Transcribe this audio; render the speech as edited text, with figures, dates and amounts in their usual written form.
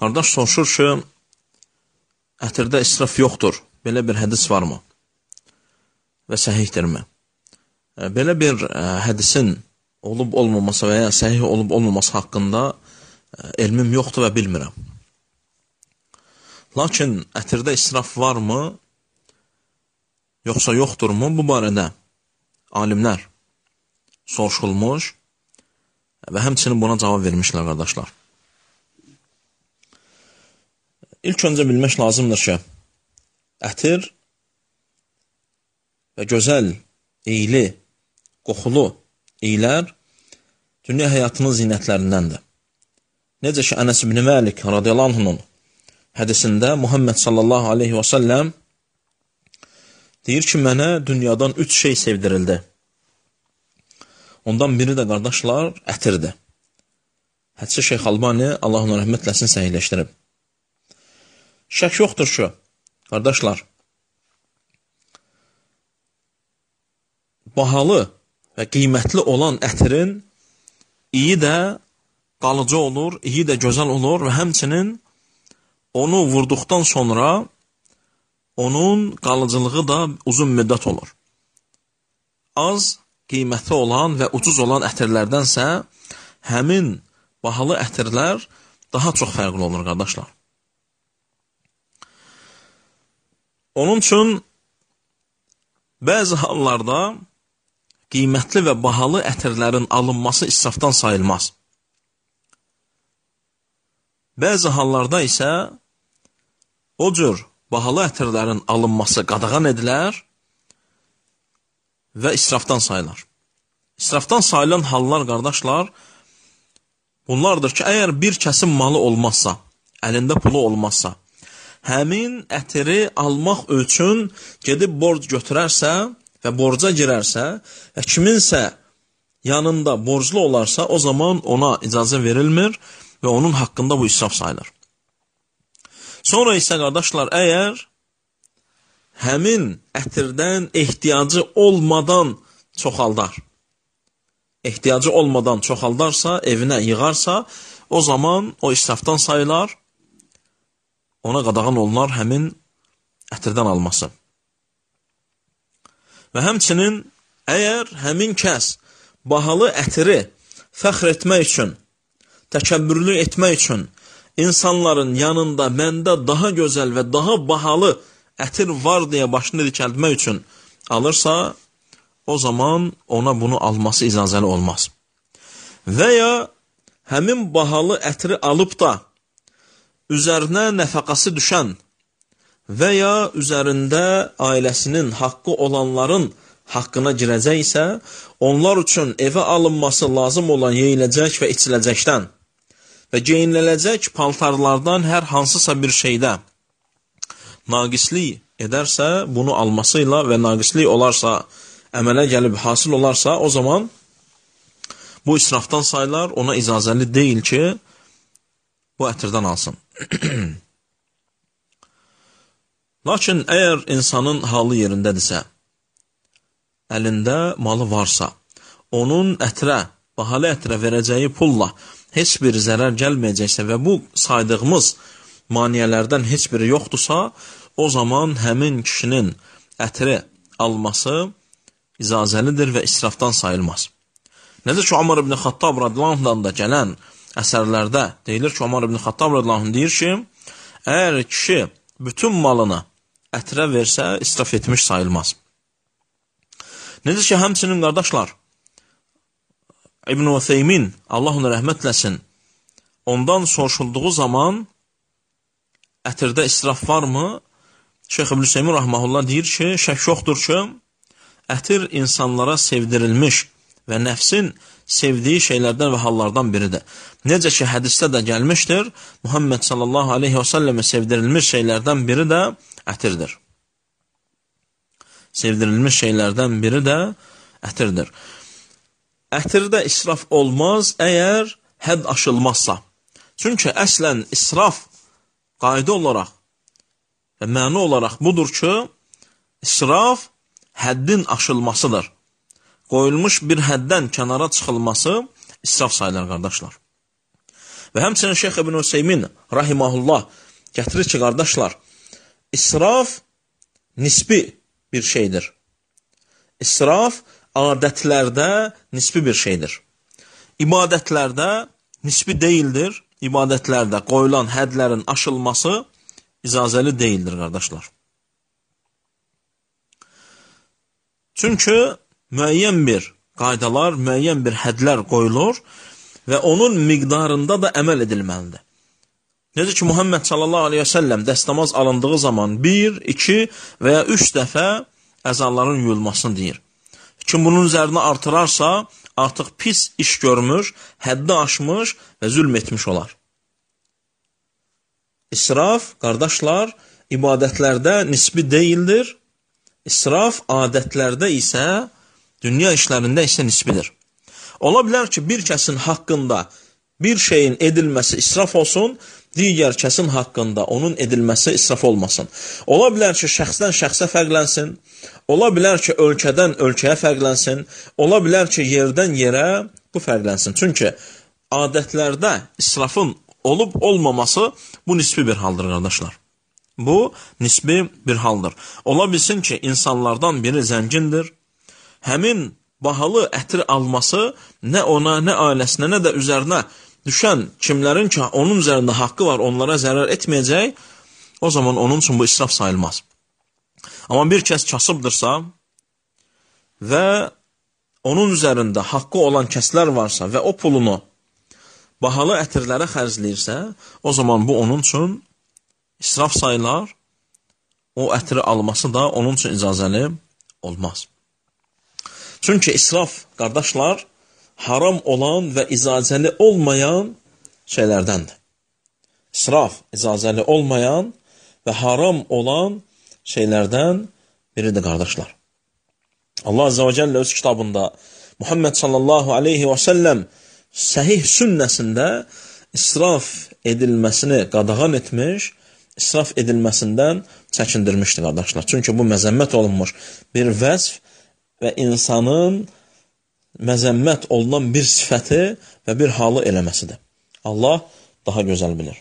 Qardaş soruşur ki, ətirdə israf yoxdur. Belə bir hədis varmı? Və səhihdirmi? Belə bir hədisin olub-olmaması və ya səhih olub-olmaması haqqında elmim yoxdur və bilmirəm. Lakin ətirdə israf varmı, yoxsa yoxdurmu? Bu barədə alimlər soruşulmuş və həmçinin buna cavab vermişlər, qardaşlar. İlk öncə bilmək lazımdır ki, ətir və gözəl, iyili, qoxulu iyilər dünya həyatının zinətlərindəndir. Necə ki, Ənəs ibn Məlik radiyallahu anhunun hədisində Muhammed sallallahu aleyhi və səlləm deyir ki, mənə dünyadan 3 şey sevdirildi. Ondan biri də, qardaşlar, ətirdir. Hədisi Şeyx Albani, Allah ona rəhmət eləsin, səhihləşdirib. Şək yoxdur ki, qardaşlar, bahalı və qiymətli olan ətirin iyi də qalıcı olur, iyi də gözəl olur və həmçinin onu vurduqdan sonra onun qalıcılığı da uzun müddət olur. Az qiymətli olan və ucuz olan ətirlərdənsə həmin bahalı ətirlər daha çox fərqli olur, qardaşlar. Onun üçün bəzi hallarda qiymətli və bahalı ətirlərin alınması israfdan sayılmaz. Bəzi hallarda isə o cür bahalı ətirlərin alınması qadağan edilər və israfdan sayılar. İsrafdan sayılan hallar, qardaşlar, bunlardır ki, əgər bir kəsin malı olmazsa, əlində pulu olmazsa, həmin ətiri almaq üçün gedib borc götürərsə və borca girərsə və kiminsə yanında borclu olarsa, o zaman ona icazə verilmir və onun haqqında bu israf sayılır. Sonra isə, qardaşlar, əgər həmin ətirdən ehtiyacı olmadan çoxaldarsa, evinə yığarsa, o zaman o israfdan sayılar, ona qadağan olunar həmin ətirdən alması. Və həmçinin, əgər həmin kəs bahalı ətiri fəxr etmək üçün, təkəbbürlü etmək üçün, insanların yanında məndə daha gözəl və daha bahalı ətir var deyə başını dikəltmək üçün alırsa, o zaman ona bunu alması icazəli olmaz. Və ya həmin bahalı ətiri alıb da üzərinə nəfəqəsi düşən və ya üzərində ailəsinin haqqı olanların haqqına girəcəksə, onlar üçün evə alınması lazım olan yeyiləcək və içiləcəkdən və geyiniləcək paltarlardan hər hansısa bir şeydə naqislik edərsə, bunu almasıyla və naqislik olarsa, əmələ gəlib hasil olarsa, o zaman bu israfdan sayılar, ona icazəli deyil ki, bu ətirdən alsın. Lakin əgər insanın halı yerindədirsə, əlində malı varsa, onun ətirə, bahalı ətirə verəcəyi pulla heç bir zərər gəlməyəcəksə və bu saydığımız maniyələrdən heç biri yoxdursa, o zaman həmin kişinin ətiri alması icazəlidir və israfdan sayılmaz. Necə ki, Ömər ibn Xattab radiyallahu da gələn əsərlərdə deyilir ki, Ömər ibn Xattab radiyallahu deyir ki, əgər kişi bütün malını ətirə versə, israf etmiş sayılmaz. Necə ki, həmçinin, qardaşlar, İbn Utheymin, Allah ona rəhmət eləsin, ondan soruşulduğu zaman ətirdə israf varmı? Şeyx İbn Hüseymin rahmehullah deyir ki, şək yoxdur ki, ətir insanlara sevdirilmiş və nəfsin sevdiyi şeylərdən və hallardan biridir. Necə ki, hədisdə də gəlmişdir, Muhammed sallallahu aleyhi və səlləmə sevdirilmiş şeylərdən biri də ətirdir. Sevdirilmiş şeylərdən biri də ətirdir. Ətirdə israf olmaz əgər hədd aşılmazsa. Çünki əslən israf qayda olaraq və məna olaraq budur ki, israf həddin aşılmasıdır. Qoyulmuş bir həddən kənara çıxılması israf sayılır, qardaşlar. Və həmçinin Şeyx İbn Hüseymin rahimahullah gətirir ki, qardaşlar, israf nisbi bir şeydir. İsraf adətlərdə nisbi bir şeydir. İbadətlərdə nisbi deyildir. İbadətlərdə qoyulan hədlərin aşılması icazəli deyildir, qardaşlar. Çünki müəyyən bir qaydalar, müəyyən bir hədlər qoyulur və onun miqdarında da əməl edilməlidir. Necə ki, Muhammed sallallahu aleyhi və səlləm dəstəmaz alındığı zaman 1, 2 və ya 3 dəfə əzaların yuyulmasını deyir. Kim bunun üzərinə artırarsa, artıq pis iş görmüş, həddi aşmış və zülm etmiş olar. İsraf, qardaşlar, ibadətlərdə nisbi deyildir. İsraf adətlərdə isə, dünya işlərində isə nisbidir. Ola bilər ki, bir kəsin haqqında bir şeyin edilməsi israf olsun, digər kəsin haqqında onun edilməsi israf olmasın. Ola bilər ki, şəxsdən şəxsə fərqlənsin, ola bilər ki, ölkədən ölkəyə fərqlənsin, ola bilər ki, yerdən yerə bu fərqlənsin. Çünki adətlərdə israfın olub-olmaması bu nisbi bir haldır, qardaşlar. Bu nisbi bir haldır. Ola bilsin ki, insanlardan biri zəngindir, həmin bahalı ətri alması nə ona, nə ailəsinə, nə də üzərinə düşən kimlərin ki, onun üzərində haqqı var, onlara zərər etməyəcək, o zaman onun üçün bu israf sayılmaz. Amma bir kəs kasıbdırsa və onun üzərində haqqı olan kəslər varsa və o pulunu bahalı ətirlərə xərcləyirsə, o zaman bu onun üçün israf sayılar, o ətri alması da onun üçün icazəli olmaz. Çünki israf, qardaşlar, haram olan və icazəli olmayan şeylərdəndir. İsraf, icazəli olmayan və haram olan şeylərdən biridir, qardaşlar. Allah Azze və Cəllə öz kitabında Muhammed sallallahu aleyhi və səlləm səhih sünnəsində israf edilməsini qadağan etmiş, israf edilməsindən çəkindirmişdir, qardaşlar. Çünki bu məzəmmət olunmuş bir vəzf və insanın məzəmmət olunan bir sifəti və bir halı eləməsidir. Allah daha gözəl bilir.